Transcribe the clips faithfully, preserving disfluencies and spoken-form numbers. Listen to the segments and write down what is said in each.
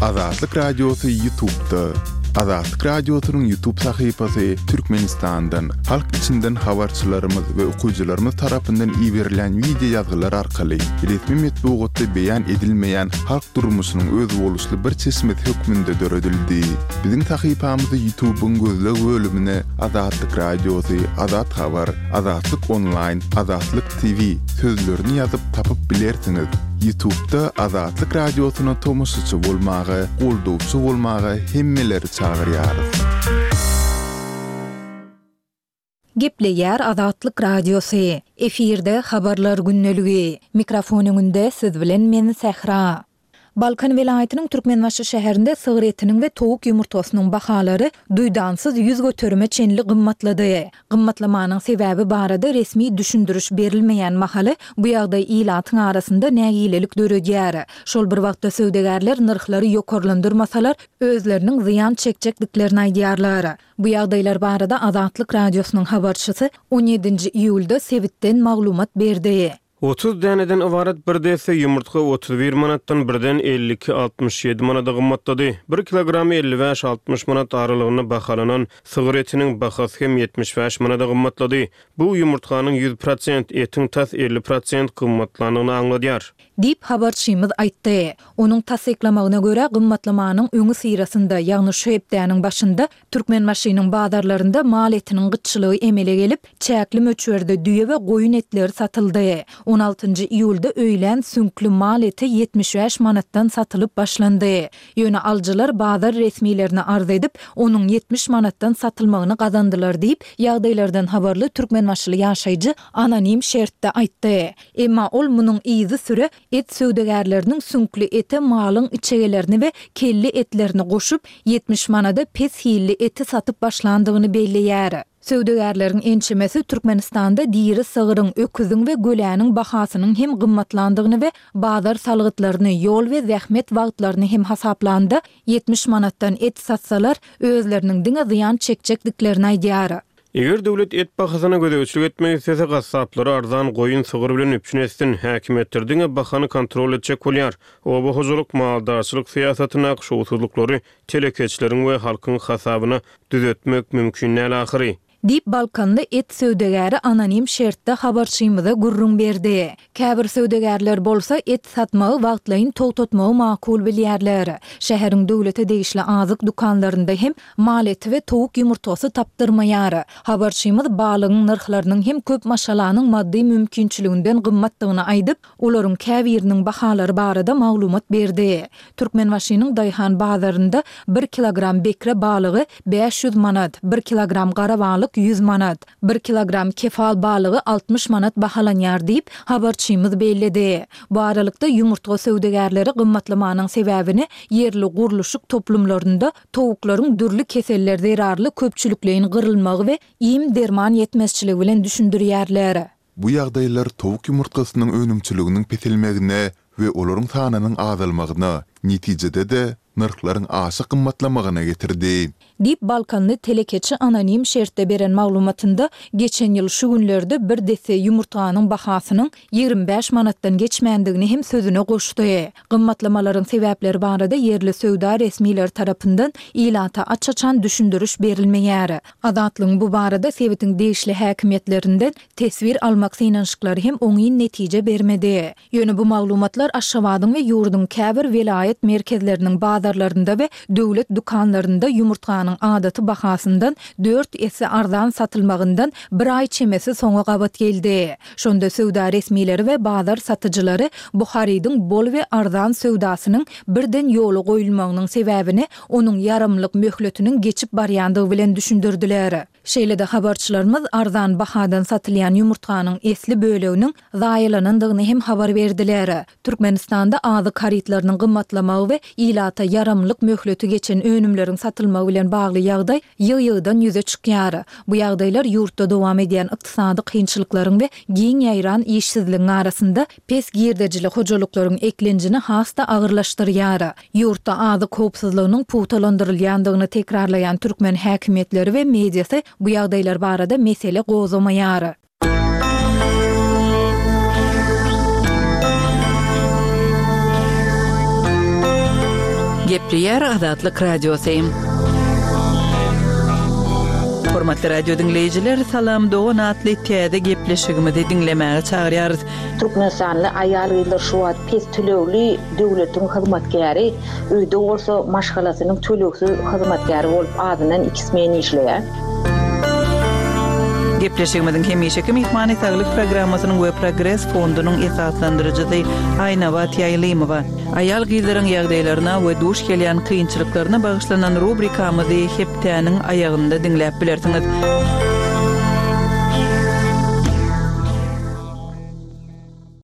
Azatlyk Radiosy YouTube'da. Azatlyk Radiosynyň YouTube sahypasy Türkmenistandan, halk içinden habarçylarymyz we okyjylarymyz tarapyndan iberilýän wideo ýazgylar arkaly resmi metbugatda beýan edilmeýän halk durmuşynyň özboluşly bir çeşmesi hökmünde döredildi. Biziň sahypamyzy YouTube'yň gözleg bölümine Azatlyk Radiosy, Azat Habar, Azatlyk Online, Azatlyk T V sözlerini ýazyp tapyp bilersiňiz. YouTube'da Azatlyk Radiosyna tomaşaçy bolmaga, goldawçy bolmaga hemmeleri çagyrýarys. Gepleýär Azatlyk Radiosy. Efirde habarlar gündeligi. Mikrofon öňünde siz bilen men Sähra. Balkan welaýatynyň Türkmenbaşy şäherinde sygyr etiniň we towuk ýumurtgasynyň bahalary duýdansyz ýüz göterime çenli gymmatlady. Gymmatlamanyň sebäbi barada resmi düşündiriş berilmeýän mahaly bu ýagdaý ilatyň arasynda nägilelik döredýär. Şol bir wagtda söwdagärler nyrhlary ýokarlandyrmasalar, özleriniň zyýan çekjekdiklerini aýdýarlar. Bu ýagdaýlar barada Azatlyk Radiosynyň habarçysy on ýedinji iýulda sebitden maglumat berdi. Otuz däneden ybarat bir desse ýumurtga otuz bir manatdan birden elli iki altmyş ýedi manada gymmatlady. Bir kilogram elli bäş altmyş manat aralygynda bahalanan sygyr etiniň bahasy hem ýetmiş bäş manada gymmatlady. Bu ýumurtganyň ýüz prosent, etiň tas elli prosent gymmatlandygyny aňladýar. Diýip habarçymyz aýtdy. Onuň tassyklamagyna görä gymmatlamanyň öňi syrasynda, ýagny şu hepdäniň başynda Türkmenbaşynyň bazarlarynda mal etiniň gytçylygy emele gelip, çäkli möçberde düýe we goýun etleri satyldy. on altynjy iýulda öýlän süňkli mal eti ýetmiş bäş manatdan satylyp başlandy. Ýöne alyjylar bazar resmilerine arz edip, onuň ýetmiş manatdan satylmagyny gazandylar diýip, ýagdaýlardan habarly Türkmenbaşyly ýaşaýjy anonim şertde aýtdy. Emma ol munuň yzy süre et söwdagärleriniň süňkli ete malyň içegelerini we kelli etlerini goşup, ýetmiş manada pes hilli eti satyp başlandygyny belleýär. Söwdagärleriň ençemesi Türkmenistanda diri sygyryň, öküziň we göläniň bahasynyň hem gymmatlandygyny we bazar salgytlaryny, ýol we zähmet wagtlaryny hem hasaplanda ýetmiş manatdan et satsalar, özleriniň diňe zyýan çekjekdiklerini aýdýar. Eger döwlet et bahasyna gözegçilik etmek islese, gassaplary arzan goýun sygyr bilen üpjün etsin. Häkimiýetler diňe bahany kontrol etjek bolýar. Oba hojalyk, maldarçylyk syýasatyndaky şowsuzlyklary telekeçileriň we halkyň hasabyna düzetmek mümkin däl ahyry. Diýip Balkanly et söwdagäri anonim şertde habarçymyza gürrüň berdi. Käbir söwdagärler bolsa et satmagy wagtlaýyn togtatmagy makul bilýärler. Şäheriň döwlete degişli azyk dükanlarynda hem mal eti we towuk ýumurtgasy tapdyrmaýar. Habarçymyz balygyň nyrhlarynyň hem köp maşgalanyň maddy mümkinçiliginden gymmatdygyny aýdyp, olaryň käbiriniň bahalary barada maglumat berdi. Türkmenbaşynyň Daýhan bazarynda bir kilogram bekre balygy bäş ýüz manat, bir kilogram gara balyk ýüz manat, bir kilogram kefal balygy altmyş manat bahalanýar diýip, habarçymyz belledi. Bu aralykda ýumurtga söwdagärleri gymmatlamanyň sebäbini ýerli gurluşyk toplumlarynda towuklaryň dürli keseller zerarly köpçülikleýin gyrylmagy we iým derman ýetmezçiligi bilen düşündirýärler. Bu ýagdaýlar towuk ýumurtgasynyň önümçiliginiň peselmegine we olaryň sanynyň azalmagyna, netijede-de nyrhlaryň aşa gymmatlamagyna getirdi. Diýip Balkanly telekeçi anonim şertde beren maglumatynda geçen ýyl şu günlerde bir desse ýumurtganyň bahasynyň ýigrimi bäş manatdan geçmändigini hem sözüne goşdy. Gymmatlamalaryň sebäpleri barada ýerli söwda resmileri tarapyndan ilata aç-açan düşündiriş berilmeýär. Azatlygyň bu barada sebitiň degişli häkimiýetlerinden teswir almak synanyşyklary hem oňyn netije bermedi. Ýöne bu maglumatlar Aşgabadyň we ýurduň käbir welaýat merkezleriniň bazarlarynda we döwlet dükanlarynda ýumurtganyň adaty bahasyndan dört esse arzan satylmagyndan bir aý çemesi soňa gabat geldi. Şonda söwda resmileri we bazar satyjylary bu harydyň bol we arzan söwdasynyň birden ýola goýulmagynyň sebäbini onuň ýaramlyk möhletiniň geçip barýandygy bilen düşündirdiler. Şeýle-de habarçylarymyz arzan bahadan satylýan ýumurtganyň esli böleginiň zaýalanandygyny hem habar berdiler. Türkmenistanda azyk harytlarynyň gymmatlamagy we ilata ýaramlyk möhleti geçen önümleriň satylmagy bilen bagly ýagdaý ýygy-ýygydan ýüze çykýar. Bu ýagdaýlar ýurtda dowam edýän ykdysady kynçylyklaryň we giň ýaýran işsizligiň arasynda pes girdejili hojalyklaryň eklenjini has-da agyrlaşdyrýar. Ýurtda azyk howpsuzlygynyň pugtalandyrylýandygyny tekrarlaýan türkmen häkimiýetleri we mediasy bu ýagdaýlar barada mesele gozgamaýar. Gepleýär Gepleýär Azatlyk Radiosy. Hormatly radio diňleýjiler, Salam dogan atly täze gepleşigimizi diňlemäge çagyrýarys. Türkmenistanly aýal-gyzlar şu wagt pes tölegli döwletiň hyzmatkäri, öýde bolsa maşgalasynyň tölegsiz hyzmatkäri bolup azyndan iki smen işleýär. Gepleşigimiziň hemişeki myhmany Saglyk programmasynyň we Progres fondunyň esaslandyryjysy Aýnabat Ýaýlymowa. Aýal-gyzlaryň ýagdaýlaryna we duş gelýän kynçylyklaryna bagyşlanan rubrikamyzy hepdäniň aýagynda diňläp bilersiňiz.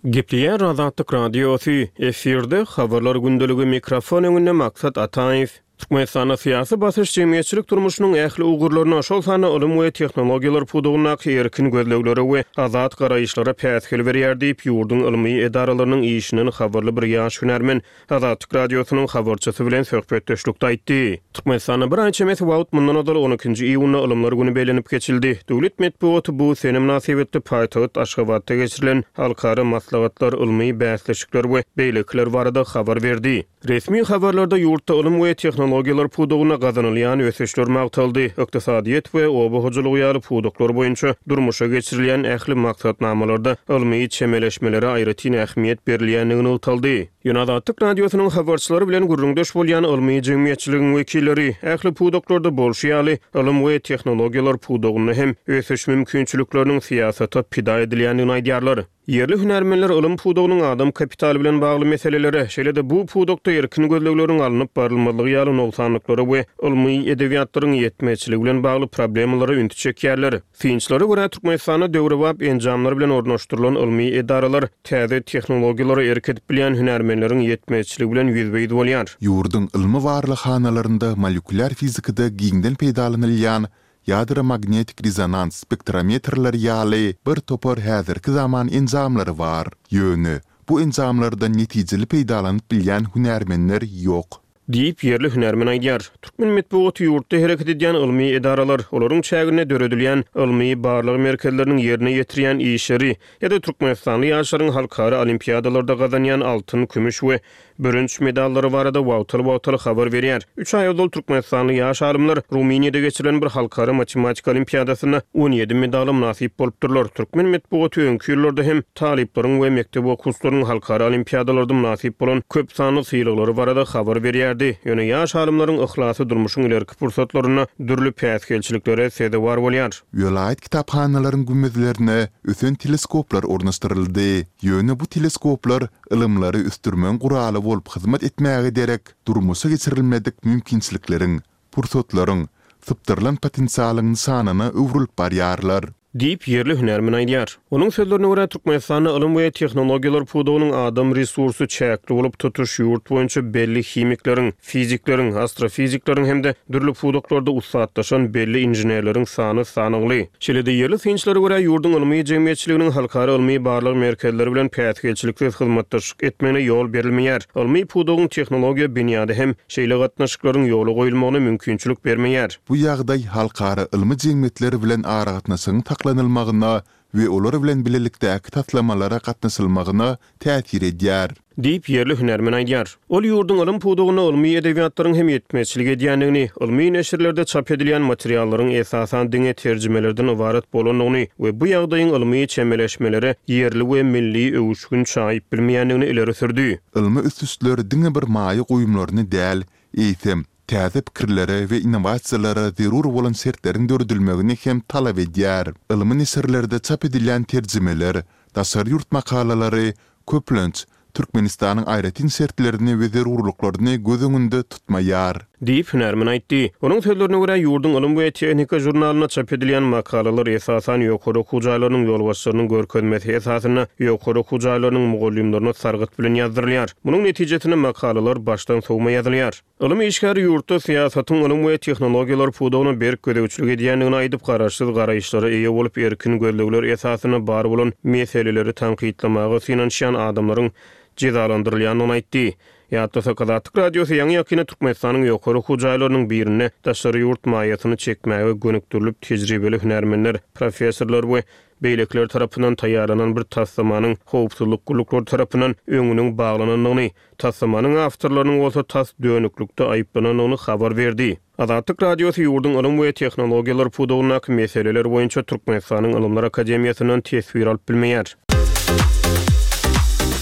Gepleýär Azatlyk Radiosy, efirde Habarlar gündeligi mikrofon öňünde Maksat Ataýew. Türkmenistanda syýasy basyş jemgyýetçilik durmuşynyň ähli ugurlaryna, şol sanda ylym we tehnologiýalar pudagyndaky erkin gözleglere we azat garaýyşlara päsgel berýär diýip, ýurduň ylmy edaralarynyň işinden habarly bir ýaş hünärmen Azatlyk Radiosynyň habarçysy bilen söhbetdeşlikde aýtdy. Türkmenistanda bir aý çemesi wagt mundan ozal on ikinji iýunda Ylymlar güni bellenip geçildi. Döwlet metbugaty bu sene mynasybetli paýtagt Aşgabatda geçirilen halkara maslahatlar, ylmy bäsleşikler we beýlekiler barada habar berdi. Resmi habarlarda ýurtda ylym we tehnologiýalar pudagynda gazanylýan ösüşler magtaldy, ykdysadyýet we oba hojalygy ýaly pudaklar boýunça durmuşa geçirilýän ähli maksatnamalarda ylmy çemeleşmelere aýratyn ähmiýet berilýändigi nygtaldy. Ýöne Azatlyk Radiosynyň habarçylary bilen gürrüňdeş bolýan ylmy jemgyýetçiligiň wekilleri ähli pudaklarda bolşy ýaly ylym we tehnologiýalar pudagynda hem ösüş mümkinçilikleriniň syýasata pida edilýändigini aýdýarlar. Ýerli hünärmenler ylym pudagynyň adam kapitaly bilen bagly meselelere, şeýle-de bu pudakda erkin gözlegleriň alnyp barylmazlygy ýaly nogsanlyklara we ylmy edebiýatlaryň ýetmezçiligi bilen bagly problemalara ünsi çekýärler. Synçylara görä Türkmenistanda döwrebap enjamlar bilen ornaşdyrylan ylmy edaralar täze tehnologiýalara erk edip bilýän hünärmenleriň ýetmezçiligi bilen ýüzbe-ýüz bolýar. Ýurduň ylmy barlaghanalarynda molekulyar fizikada giňden peýdalanylýan ýadro magnetik rezonans spektrometrleri ýaly bir topar häzirki zaman enjamlary bar. Ýöne bu enjamlardan netijeli peýdalanyp bilýän hünärmenler ýok. Diýip ýerli hünärmen aýdýar. Türkmen metbugaty ýurtda hereket edýän ylmy edaralar, olaryň çäginde döredilýän ylmy barlag merkezleriniň ýerine ýetirýän işleri ýa-da Türkmenistanly ýaşlaryň halkara olimpiadalarda gazanýan altyn, kümüş we bürünç medallary barada wagtal-wagtal habar berýär. Üç aý ozal Türkmenistanly ýaş alymlar Rumyniýada geçirilen bir halkara matematika olimpiadasynda on ýedi medala mynasyp bolupdyrlar. Türkmen metbugaty öňki ýyllarda hem talyplaryň we mekdep okuwçylarynyň halkara olimpiadalarda mynasyp bolan köp sanly sylaglary barada habar berýärdi. Ýöne ýaş alymlaryň yhlasy durmuşyň ilerki pursatlarynda dürli päsgelçiliklere sezewar bolýar. Welaýat kitaphanalaryň gümmezlerine ösen teleskoplar ornaşdyryldy. Ýöne bu teleskoplar ylymlary ösdürmegiň guraly bolup hyzmat etmäge derek durmuşa geçirilmedik mümkinçilikleriň, pursatlaryň, sypdyrylan potensialyň nyşanyna öwrülip barýarlar. Diýip ýerli hünärmen aýdýar. Onuň sözlerine görä Türkmenistanda ylym we tehnologiýalar pudagynyň adam resursy çäkli bolup tutuş ýurt boýunça belli himikleriň, fizikleriň, astrofizikleriň hem-de dürli pudaklarda ussatlaşan belli inženerleriň sany sanagly. Şeýle-de ýerli synçylara görä ýurduň ylmy jemgyýetçiliginiň halkara ylmy barlag merkezleri bilen päsgelçiliksiz hyzmatdaşlyk etmegine ýol berilmeýär. Ylmy pudagyň tehnologiýa binýady hem şeýle gatnaşyklaryň ýola goýulmagyna mümkinçilik bermeýär. Bu ýagdaý halkara ylmy jemgyýetleri bilen aragatnaşygyň saklanylmagyna we olar bilen bilelikdäki taslamalara gatnaşylmagyna täsir edýär. Diýip ýerli hünärmen aýdýar. Ol ýurduň ylym pudagynda ylmy edebiýatlaryň hem ýetmezçilik edýändigini, ylmy neşirlerde çap edilýän materiallaryň esasan diňe terjimelerden ybarat bolandygyny we bu ýagdaýyň ylmy çemeleşmelere ýerli we milli öwüşgin çaýyp bilmeýändigini ileri sürdi. Ylmy ösüşler diňe bir maýa goýumlaryny däl, eýsem täze pikirlere we innowasiýalara zerur bolan şertleriň döredilmegini hem talap edýär. Ylmy neşirlerde çap edilýän terjimeler, daşary ýurt makalalary köplenç Türkmenistanyň aýratyn şertlerini we zerurlyklaryny göz öňünde tutmaýar. Diýip hünärmen aýtdy. Onuň sözlerine görä ýurduň ylym we tehnika žurnalynda çap edilýän makalalar esasan ýokary okuw jaýlarynyň ýolbaşçylarynyň görkezmesi esasynda ýokary okuw jaýlarynyň mugallymlaryna sargyt bilen ýazdyrylýar. Munuň netijesinde makalalar başdan sowma ýazylýar. Ylym işgäri ýurtda syýasatyň ylym we tehnologiýalar pudagyna berk gözegçilik edýändigini aýdyp, garaşsyz garaýyşlara eýe bolup erkin gözlegler esasynda bar bolan meseleleri tankytlamaga synanyşýan adamlaryň jezalandyrylýandygyny aýtdy. Ýatlasak, Azatlyk Radiosy ýaňy-ýakynda Türkmenistanyň ýokary okuw jaýlarynyň birinde daşary ýurt maýasyny çekmäge gönükdirilip, tejribeli hünärmenler, professorlar we beýlekiler tarapyndan taýýarlanan bir taslamanyň howpsuzlyk gulluklary tarapyndan öňüniň baglanandygyny, taslamanyň awtorlarynyň bolsa tas dönüklikde aýyplanandygyny habar berdi. Azatlyk Radiosy ýurduň ylym we tehnologiýalar pudagyndaky meseleler boýunça Türkmenistanyň Ylymlar akademiýasyndan teswir alyp bilmeýär.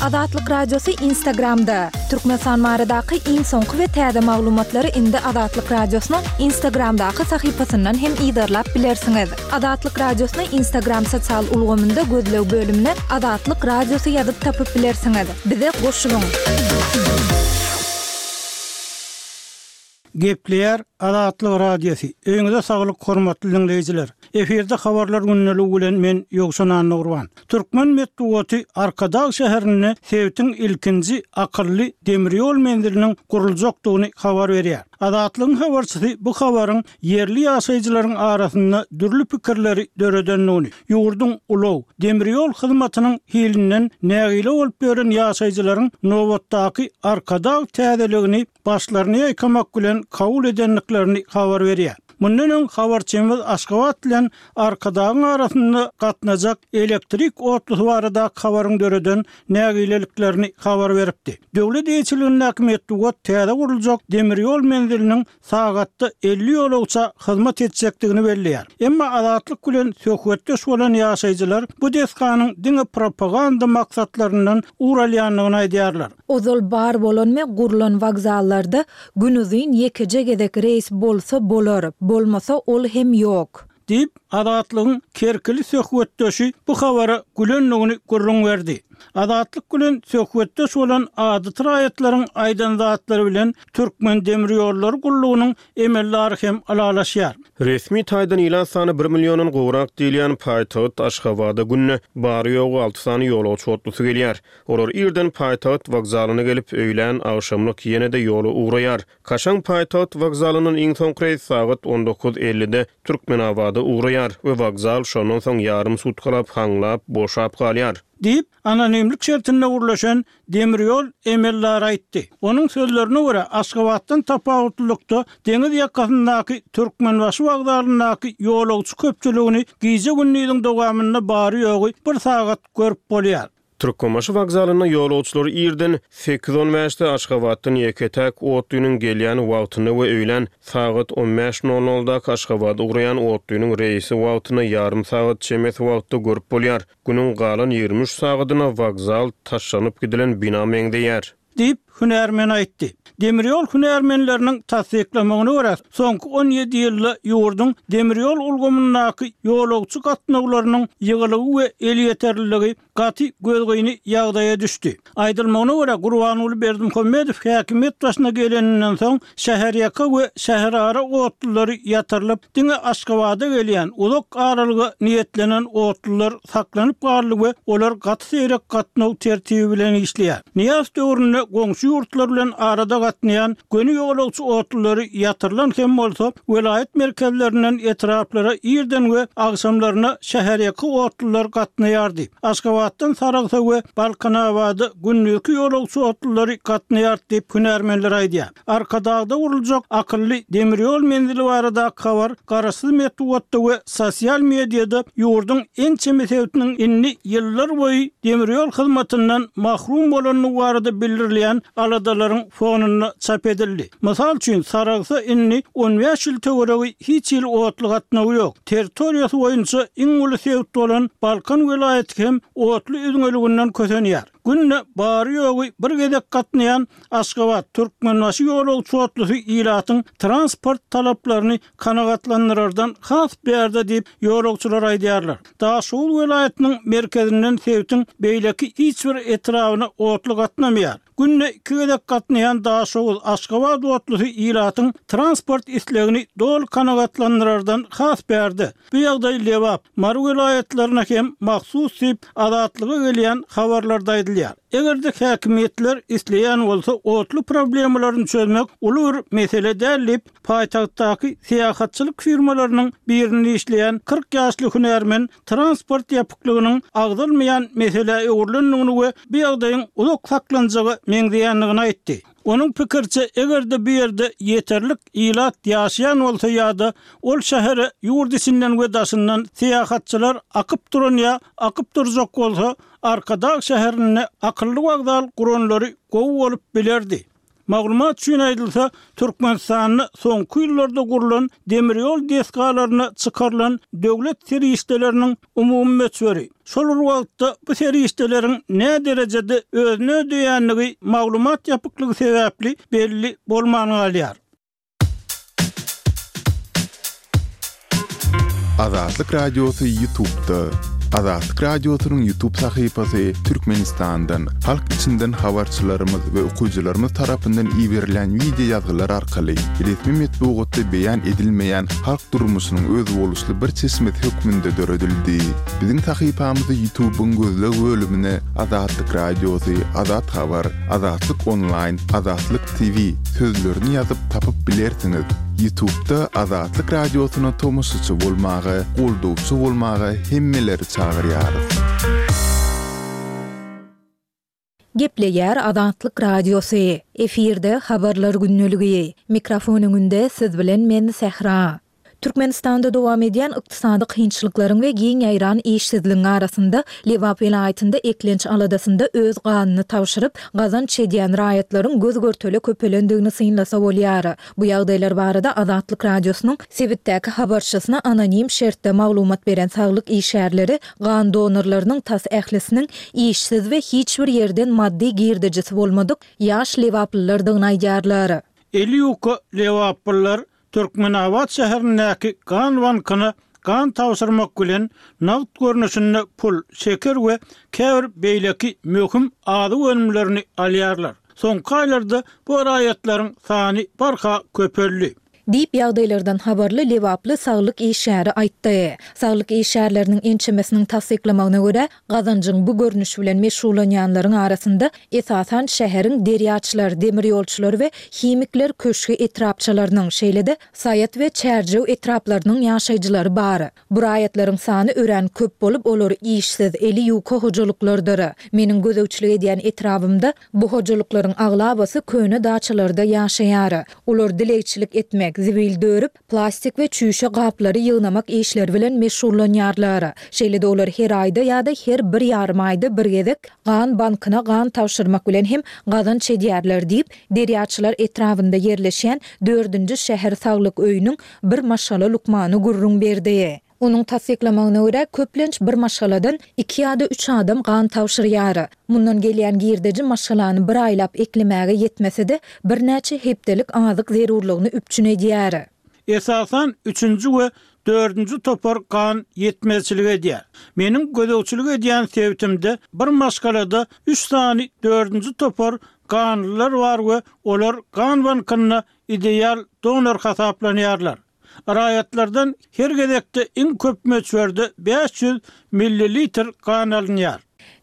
Azatlyk Radiosy Instagramda, Türkmenistan baradaky iň soňky we täze maglumatlary indi Azatlyk Radiosynyň Instagramdaky sahypasyndan hem yzarlap bilersiňiz. Azatlyk Radiosyny Instagram sosial ulgamynda gözleg bölümine Azatlyk Radiosy ýazyp tapyp bilersiňiz. Bize goşulyň! Gepleýär Azatlyk Radiosy. Öýüňize saglyk hormatly diňleýjiler. Efirde habarlar gündeligi bilen men Ýowşan Annagurban. Türkmen metbugaty Arkadag şäherinde sebitiň ilkinji akylly demir ýol menziliniň guruljakdygyny habar berýär. Azatlygyň habarçysy bu habaryň ýerli ýaşaýjylaryň arasynda dürli pikirleri döredendigini, ýurduň ulag, demir ýol hyzmatynyň hilinden nägile bolup ýören ýaşaýjylaryň nobatdaky Arkadag täzeligini başlaryny ýaýkamak bilen kabul edendiklerini habar berýär. Mundan öň habarçymyz Aşgabat bilen Arkadagyň arasynda gatnajak elektrik otlusy baradaky habaryň döreden nägileliklerini habar beripdi. Döwlet eýeçiligindäki metbugat täze guruljak demir ýol menziliniň sagatda elli ýolagça hyzmat etjekdigini belleýär. Emma Azatlyk bilen söhbetdeş bolan ýaşaýjylar bu desganyň diňe propaganda maksatlaryndan ugur alýandygyny aýdýarlar. Ozal bar bolan we gurlan wokzallarda günuzyn ýekeje gezek reýs bolsa bolar, bolmasa ol hem ýok. Diýip, Azatlygyň kerkili söhbetdeşi bu habara gülendigini gürrüň berdi. Azatlyk bilen söhbetdeş bolan adaty raýatlaryň aýdan zatlary bilen Türkmendemirýollary gullugynyň emeldary hem ylalaşýar. Resmi taýdan ilat sany bir milliondan gowrak diýilýän paýtagt Aşgabada günde bary-ýogy alty sany ýolagçy otlusy gelýär. Olar irden paýtagt wokzalyna gelip, öýlän, agşamlyk ýene-de ýola ugraýar. Kaşaň paýtagt wokzalyndan iň soňky reýs sagat on dokuz ellide Türkmenabada ugraýar we wokzal şondan soň ýarym sutkalap haňlap, boşap galýar. Diýip, anonimlik şertinde gürleşen demir ýol emeldary aýtdy. Onuň sözlerine görä, Aşgabatdan tapawutlylykda deňiz ýakasyndaky Türkmenbaşy wokzalyndaky ýolagçy köpçüligini gije-gündiziň dowamynda bary-ýogy bir sagat görüp bolýar. Türkmenbaşy wokzalynda ýolagçylary irden sekiz on bäşde Aşgabatdan ýeke-täk otlynyň gelýän wagtynda we öýlän sagat on bäş nol noldaky Aşgabada ugraýan otlynyň reýsi wagtynda ýarym sagat çemesi wagtda görüp bolýar. Günüň galan ýigrimi üç sagadyna wokzal taşlanyp gidilen bina meňzeýär. Diýip, hünärmen aýtdy. Demir ýol hünärmenleriniň tassyklamagyna görä, soňky on ýedi ýylda ýurduň demir ýol ulgamyndaky ýolagçy gatnawlarynyň ýygylygy we elýeterliligi gaty gözgyny ýagdaýa düşdi. Aýdylmagyna görä, Gurbanguly Berdimuhamedow häkimiýet başyna geleninden soň şäherýaka we şäherara otlulary ýatyrylyp, diňe Aşgabada gelýän uzak aralyga niýetlenen otlular saklanyp galdy we olar gaty seýrek gatnaw tertibi bilen işleýär. Nyýazow döwründe goňşy ýurtlar bilen arada gatnaýan göni ýolagçy otlulary ýatyrylan hem bolsa, welaýat merkezlerinden etraplara irden we agşamlaryna şäherýaka otlular gatnaýardy. Aşgabatdan Saragsa we Balkanabada gündizki ýolagçy otlulary gatnaýardy diýip hünärmenler aýdýar. Arkadagda guruljak akylly demir ýol menzili baradaky habar garaşsyz metbugatda we sosial mediada ýurduň ençeme sebitiniň indi ýyllar boýy demir ýol hyzmatyndan mahrum bolandygy barada bildirilýän aladalaryň fonunda çap edildi. Mysal üçin, Saragsa indi on bäş ýyl töweregi hiç hili otly gatnawy ýok. Territoriýasy boýunça iň uly sebit bolan Balkan welaýaty hem otly üzňeliginden kösenýär. Günde bary-ýogy bir gezek gatnaýan Aşgabat, Türkmenbaşy ýolagçy otlusy ilatyň transport talaplaryny kanagatlandyrardan has bärde diýip, ýolagçylar aýdýarlar. Daşoguz welaýatynyň merkezinden sebitiň beýleki hiç bir etrabyna otly gatnamaýar. Günde iki gezek gatnaýan Daşoguz, Aşgabat otlusy ilatyň transport islegini doly kanagatlandyrardan has bärde. Bu ýagdaý Lebap, Mary welaýatlaryna hem mahsus diýip, Azatlyga gelýän habarlarda aýdylýar. aýdylýar. Eger-de häkimiýetler isleýän bolsa, otly problemalaryny çözmek uly bir mesele däl diýip, paýtagtdaky syýahatçylyk firmalarynyň birinde işleýän kyrk ýaşly hünärmen transport ýapyklygynyň agzalmaýan meselä öwrülendigini we bu ýagdaýyň uzak saklanjaga meňzeýändigini aýtdy. Onuň pikiriçe, eger-de bu ýerde ýeterlik ilat ýaşaýan bolsa ýa-da ol şähere ýurt içinden we daşyndan syýahatçylar akyp duran ýa akyp durjak bolsa, Arkadag şäherinde akylly wokzal guranlary gowy bolup bilerdi. Maglumat üçin aýdylsa, Türkmenistanda soňky ýyllarda gurlan demir ýol desgalaryna çykarylan döwlet serişdeleriniň umumy möçberi, şol bir wagtda bu serişdeleriň näderejede özüni ödeýändigi maglumat ýapyklygy sebäpli belli bolman galýar. Azatlyk Radiosy YouTube'da. Azatlyk Radiosynyň YouTube sahypasy Türkmenistandan, halk içinden habarçylarymyz we okyjylarymyz tarapyndan iberilen wideo ýazgylar arkaly resmi metbugatda beýan edilmeýän halk durmuşynyň özboluşly bir çeşmesi hökmünde döredildi. Biziň sahypamyzy YouTube'yň gözleg bölümine Azatlyk Radiosy, Azat Habar, Azatlyk Online, Azatlyk T V sözlerini ýazyp tapyp bilersiňiz. YouTube'da Azatlyk Radiosyna tomaşaçy bolmaga, goldawçy bolmaga hemmeleri çagyrýarys. Gepleýär Azatlyk Radiosy. Efirde habarlar gündeligi. Mikrofon öňünde siz bilen men Sähra. Türkmenistanda dowam edýän ykdysady kynçylyklaryň we giň ýaýran işsizligiň arasynda Lebap welaýatynda eklenç aladasynda öz ganyny tabşyryp, gazanç edýän raýatlaryň göz-görtele köpelendigini synlasa bolýar. Bu ýagdaýlar barada Azatlyk Radiosynyň sebitdäki habarçysyna anonim şertde maglumat beren saglyk işgärleri gan donorlarynyň tas ählisiniň işsiz we hiç bir ýerden maddy girdejisi bolmadyk ýaş lebaplylardygyny aýdýarlar. Eli ýuka lebaplylar Türkmenabat şäherindäki gan bankyna gan tabşyrmak bilen nagt görnüşinde pul, şeker we käbir beýleki möhüm azyk önümlerini alýarlar. Soňky aýlarda bu raýatlaryň sany barha köpeldi. Diýip ýagdaýlardan habarly Lebaply saglyk işgäri aýtdy. Saglyk işgärleriniň ençemesiniň tassyklamagyna görä, gazanjyň bu görnüşi bilen meşgullanýanlaryň arasynda esasan şäheriň Derýaçylar, Demirýolçular we Himikler köşgi etrapçalarynyň, şeýle-de Saýat we Çärjew etraplarynyň ýaşaýjylary bar. Bu raýatlaryň sany örän köp bolup, olar işsiz, eli ýuka hojalyklardyr. Meniň gözegçilik edýän etrabymda bu hojalyklaryň aglabasy köne daçalarda ýaşaýar. Olar dilegçilik etmek, zibil dörüp, plastik we çüýşe gaplary ýygnamak işleri bilen meşgullanýarlar. Şeýle-de olar her aýda ýa-da her bir ýarym aýda bir gezek gan bankyna gan tabşyrmak bilen hem gazanç edýärler diýip, Derýaçylar etrabynda ýerleşýän dördünji şäher saglyk öýüniň bir maşgala lukmany gürrüň berdi. Onuň tassyklamagyna görä, köplenç bir maşgaladan iki ýa-da üç adam gan tabşyrýar. Mundan gelýän girdeji maşgalany bir aýlap eklemäge ýetmese-de, birnäçe hepdelik azyk zerurlygyny üpjün edýär. Esasan, üçünji we dördünji topar gan ýetmezçilik edýär. Meniň gözegçilik edýän sebitimde bir maşgalada üç sany dördünji topar ganlylar bar we olar gan bankynda ideal donor hasaplanýarlar. Raýatlardan her gezekde iň köp möçberde bäş ýüz millilitr gan alynýar.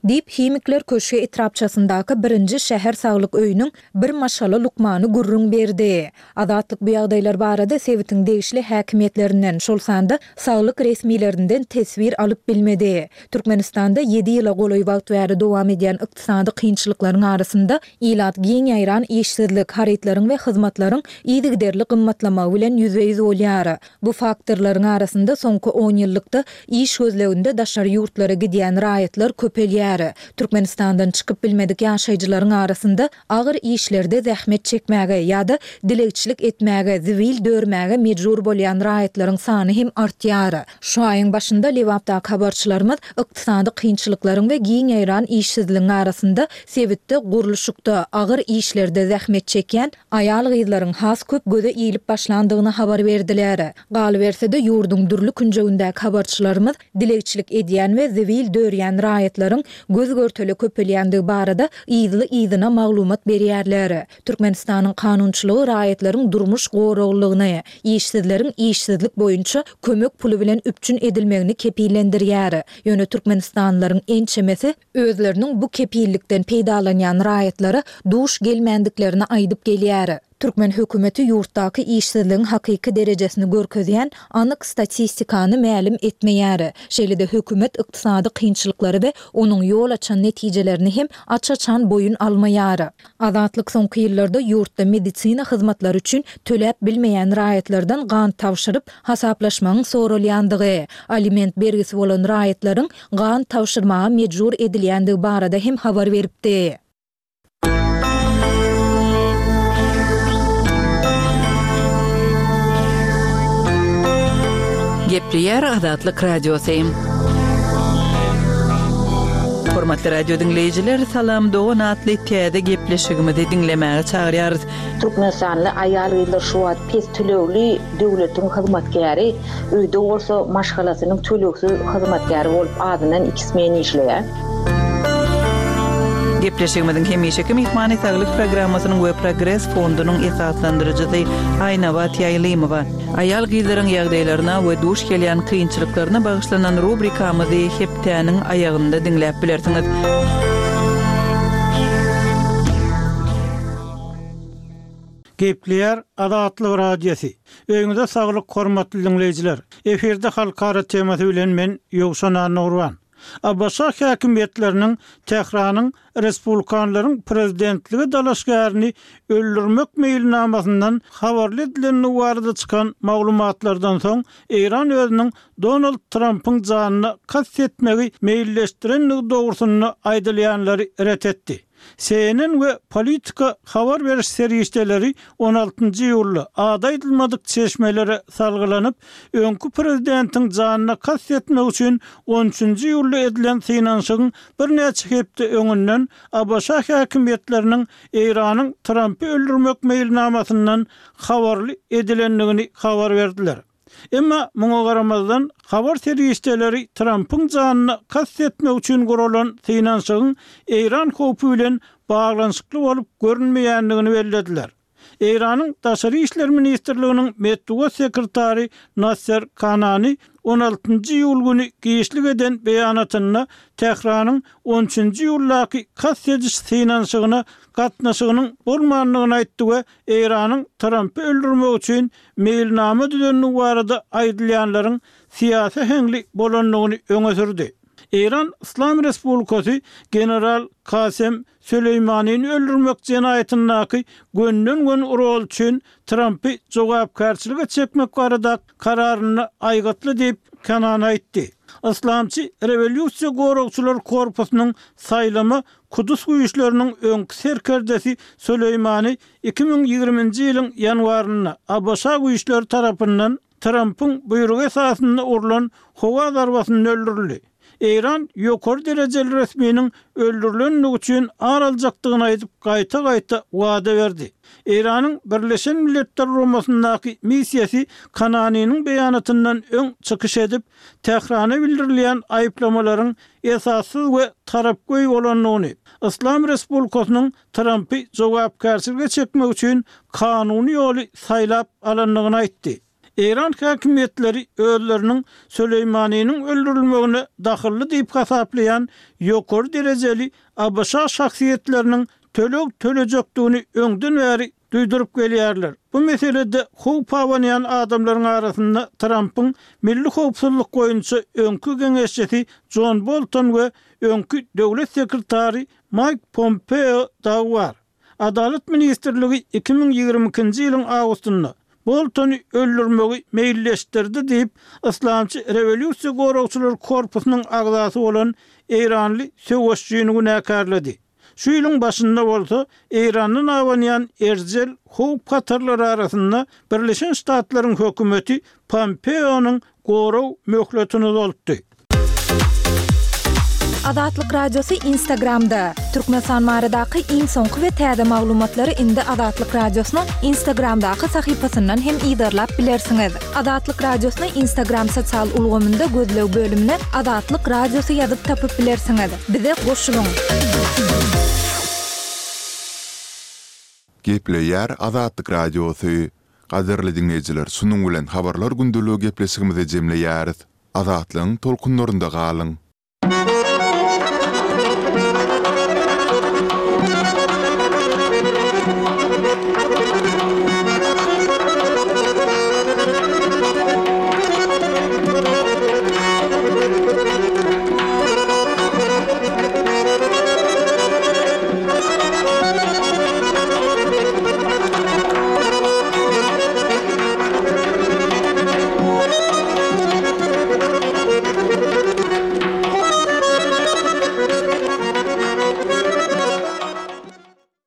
Diýip, Himikler köşgi etrapçasyndaky birinji şäher saglyk öýüniň bir maşgala lukmany gürrüň berdi. Azatlyk bu ýagdaýlar barada sebitiň degişli häkimiýetlerinden, şol sanda saglyk resmilerinden teswir alyp bilmedi. Türkmenistanda ýedi ýyla golaý wagt bäri dowam edýän ykdysady kynçylyklaryň arasynda ilat giň ýaýran işsizlik, harytlaryň we hyzmatlaryň yzygiderli gymmatlamagy bilen ýüzbe-ýüz bolýar. Bu faktorlaryň arasynda soňky on ýyllykda iş gözleginde daşary ýurtlara gidýän raýatlar köpelýär. Türkmenistandan çykyp bilmedik ýaşaýjylaryň arasynda agyr işlerde zähmet çekmäge ýa-da dilegçilik etmäge, zibil dörmäge mejbur bolýan raýatlaryň sany hem artýar. Şu aýyň başynda Lebapdaky habarçylarymyz ykdysady kynçylyklaryň we giň ýaýran işsizligiň arasynda sebitde gurluşykda, agyr işlerde zähmet çekýän aýal-gyzlaryň has köp göze ilip başlandygyny habar berdiler. Galyberse-de, ýurduň dürli künjegindäki habarçylarymyz dilegçilik edýän we zibil dörýän raýatlaryň göz-görtele köpelýändigi barada yzly-yzyna maglumat berýärler. Türkmenistanyň kanunçylygy raýatlaryň durmuş goraglylygyny, işsizleriň işsizlik boýunça kömek puly bilen üpjün edilmegini kepillendirýär. Ýöne türkmenistanlylaryň ençemesi özleriniň bu kepillikden peýdalanýan raýatlara duş gelmändiklerini aýdyp gelýär. Türkmen hökümeti ýurtdaky işsizligiň hakyky derejesini görkezýän anyk statistikany mälim etmeýär. Şeýle-de hökümet ykdysady kynçylyklary we onuň ýol açan netijelerini hem aç-açan boýun almaýar. Azatlyk soňky ýyllarda ýurtda medisina hyzmatlary üçin töläp bilmeýän raýatlardan gan tabşyryp, hasaplaşmagyň soralýandygy, aliment bergisi bolan raýatlaryň gan tabşyrmaga mejbur edilýändigi barada hem habar beripdi. Gepleýär Azatlyk Radiosy. Hormatly radio diňleýjiler, Salam dogan atly täze gepleşigimizi diňlemäge çagyrýarys. Türkmenistanly aýal-gyzlar şu wagt pes tölegli döwletiň hyzmatkäri, öýde bolsa maşgalasynyň tölegsiz hyzmatkäri bolup azyndan iki smen işleýär. Gepleşigimiziň hemişeki myhmany Saglyk programmasynyň we Progres fondunyň esaslandyryjysy Aýnabat Ýaýlymowa. Aýal-gyzlaryň ýagdaýlaryna we duş gelýän kynçylyklaryna bagyşlanan rubrikamyzy hepdäniň aýagynda diňläp bilersiňiz. Gepleýär Azatlyk Radiosy. Öýüňize saglyk hormatly diňleýjiler. Efirde halkara temasy bilen men Ýowşan Annagurban. ABŞ häkimiýetleriniň Tähranyň respublikanlaryň prezidentlige dalaşgärini öldürmek meýilnamasyndan habarly edilendigi barada çykan maglumatlardan soň, Eýran özüniň Donald Trampyň janyna kast etmegi meýilleşdirendigi dogrusynda aýdylýanlary ret etdi. CNN we Politico habar beriş serişdeleri on altynjy iýulda ady aýdylmadyk çeşmelere salgylanyp, öňki prezidentiň janyna kast etmek üçin on üçünji iýulda edilen synanyşygyň birnäçe hepde öňünden ABŞ häkimiýetleriniň Eýranyň Trampy öldürmek meýilnamasyndan habarly edilendigini habar berdiler. Emma muňa garamazdan, habar serişdeleri Trampyň janyna kast etmek üçin guralan synanyşygyň Eýran howpy bilen baglanyşykly bolup görünmeýändigini bellediler. Eýranyň Daşary işler ministrliginiň metbugat sekretary Nasser Kanani on altynjy iýul güni giçlik eden beýanatynda Tähranyň on üçünji iýuldaky kast ediş synanyşygyna gatnaşygynyň bolmandygyny aýtdy we Eýranyň Trampy öldürmek üçin meýilnama düzendigi barada aýdylýanlaryň syýasy äheňli bolandygyny öňe sürdi. Eýran Yslam Respublikasy general Kasem Süleýmanini öldürmek jenaýatyndaky gönden-göni roly üçin Trampy jogapkärçilige çekmek barada kararynda aýgytly diýip, Kenani aýtdy. Yslamçy Rewolýusiýa goragçylar korpusynyň saýlama Kudus güýçleriniň öňki serkerdesi Süleýmani iki müň ýigriminji ýylyň ýanwarynda ABŞ güýçleri tarapyndan Trampyň buýrugy esasynda urlan howa zarbasynda öldürildi. Eýran ýokary derejeli resminiň öldürilendigi üçin ar aljakdygyny aýdyp, gaýta-gaýta wada berdi. Eýranyň Birleşen Milletler Guramasyndaky missiýasy Kananiniň beýanatyndan öň çykyş edip, Tährana bildirilýän aýyplamalaryň esassyz we tarapgöý bolandygyny, Yslam Respublikasynyň Trampy jogapkärçilige çekmek üçin kanuny ýoly saýlap alandygyny aýtdy. Eýran häkimiýetleri özleriniň Süleýmaniniň öldürilmegine dahylly diýip hasaplaýan ýokary derejeli ABŞ şahsyýetleriniň töleg tölejekdigini öňden bäri duýduryp gelýärler. Bu meselede howp abanýan adamlaryň arasynda Trampyň milli howpsuzlyk boýunça öňki geňeşçisi Jon Bolton we öňki döwlet sekretary Maýk Pompeo dagy bar. Adalat ministrligi iki müň ýigrimi ikinji ýylyň awgustynda Boltony öldürmegi meýilleşdirdi diýip, Yslamçy rewolýusiýa goragçylar korpusynyň agzasy bolan eýranly söweşijini günäkärledi. Şu ýylyň başynda bolsa Eýrandan abanýan erjel howp-hatarlar arasynda Birleşen Ştatlaryň hökümeti Pompeonyň gorag möhletini uzaltdy. Azatlyk Radiosy Instagramda! Türkmenistan baradaky iň soňky we täze maglumatlary indi Azatlyk Radiosynyň Instagramdaky sahypasyndan hem yzarlap bilersiňiz. Azatlyk Radiosyny Instagram sosial ulgamynda gözleg bölümine Azatlyk Radiosy ýazyp tapyp bilersiňiz. Bize goşulyň! Gepleýär Azatlyk Radiosy. Gadyrly diňleýjiler, şunuň bilen Habarlar gündeligi gepleşigimizi jemleýäris. Azatlygyň tolkunlarynda galyň!